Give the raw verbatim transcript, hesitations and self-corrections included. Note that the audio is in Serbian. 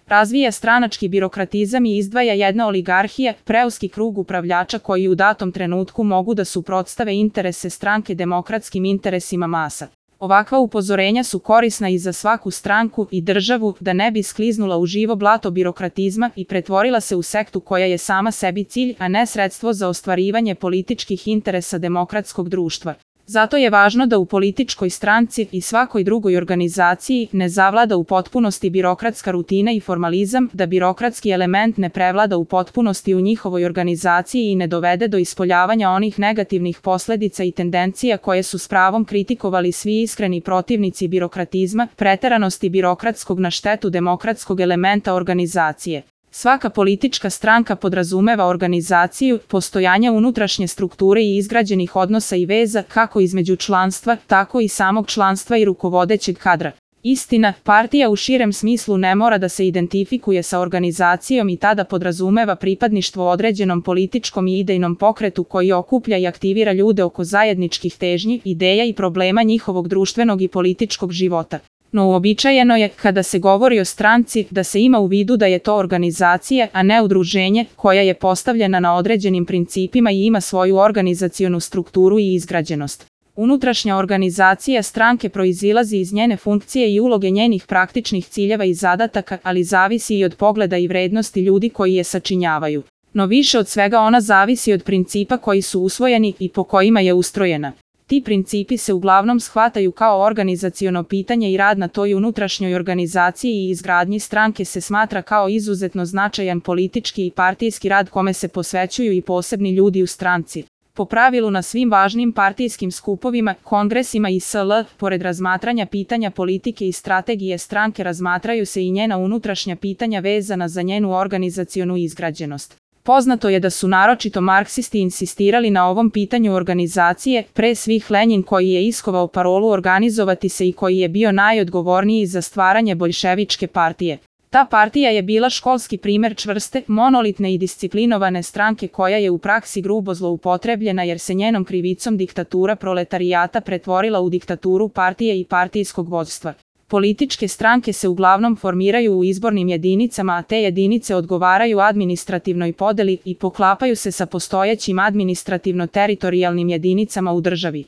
Razvija stranački birokratizam i izdvaja jedna oligarhija, preuski krug upravljača koji u datom trenutku mogu da suprotstave interese stranke demokratskim interesima masa. Ovakva upozorenja su korisna i za svaku stranku i državu da ne bi skliznula u živo blato birokratizma i pretvorila se u sektu koja je sama sebi cilj, a ne sredstvo za ostvarivanje političkih interesa demokratskog društva. Zato je važno da u političkoj stranci i svakoj drugoj organizaciji ne zavlada u potpunosti birokratska rutina i formalizam, da birokratski element ne prevlada u potpunosti u njihovoj organizaciji i ne dovede do ispoljavanja onih negativnih posledica i tendencija koje su s pravom kritikovali svi iskreni protivnici birokratizma, preteranosti birokratskog na štetu demokratskog elementa organizacije. Svaka politička stranka podrazumeva organizaciju, postojanje unutrašnje strukture i izgrađenih odnosa i veza kako između članstva, tako i samog članstva i rukovodećeg kadra. Istina, partija u širem smislu ne mora da se identifikuje sa organizacijom i tada podrazumeva pripadništvo određenom političkom i idejnom pokretu koji okuplja i aktivira ljude oko zajedničkih težnji, ideja i problema njihovog društvenog i političkog života. No uobičajeno je, kada se govori o stranci, da se ima u vidu da je to organizacija, a ne udruženje, koja je postavljena na određenim principima i ima svoju organizacionu strukturu i izgrađenost. Unutrašnja organizacija stranke proizilazi iz njene funkcije i uloge njenih praktičnih ciljeva i zadataka, ali zavisi i od pogleda i vrednosti ljudi koji je sačinjavaju. No više od svega ona zavisi od principa koji su usvojeni i po kojima je ustrojena. Ti principi se uglavnom shvataju kao organizaciono pitanje i rad na toj unutrašnjoj organizaciji i izgradnji stranke se smatra kao izuzetno značajan politički i partijski rad kome se posvećuju i posebni ljudi u stranci. Po pravilu na svim važnim partijskim skupovima, kongresima i sl., pored razmatranja pitanja politike i strategije stranke razmatraju se i njena unutrašnja pitanja vezana za njenu organizacionu izgrađenost. Poznato je da su naročito marksisti insistirali na ovom pitanju organizacije, pre svih Lenjin koji je iskovao parolu organizovati se i koji je bio najodgovorniji za stvaranje boljševičke partije. Ta partija je bila školski primer čvrste, monolitne i disciplinovane stranke koja je u praksi grubo zloupotrebljena jer se njenom krivicom diktatura proletarijata pretvorila u diktaturu partije i partijskog vođstva. Političke stranke se uglavnom formiraju u izbornim jedinicama, a te jedinice odgovaraju administrativnoj podeli i poklapaju se sa postojećim administrativno-teritorijalnim jedinicama u državi.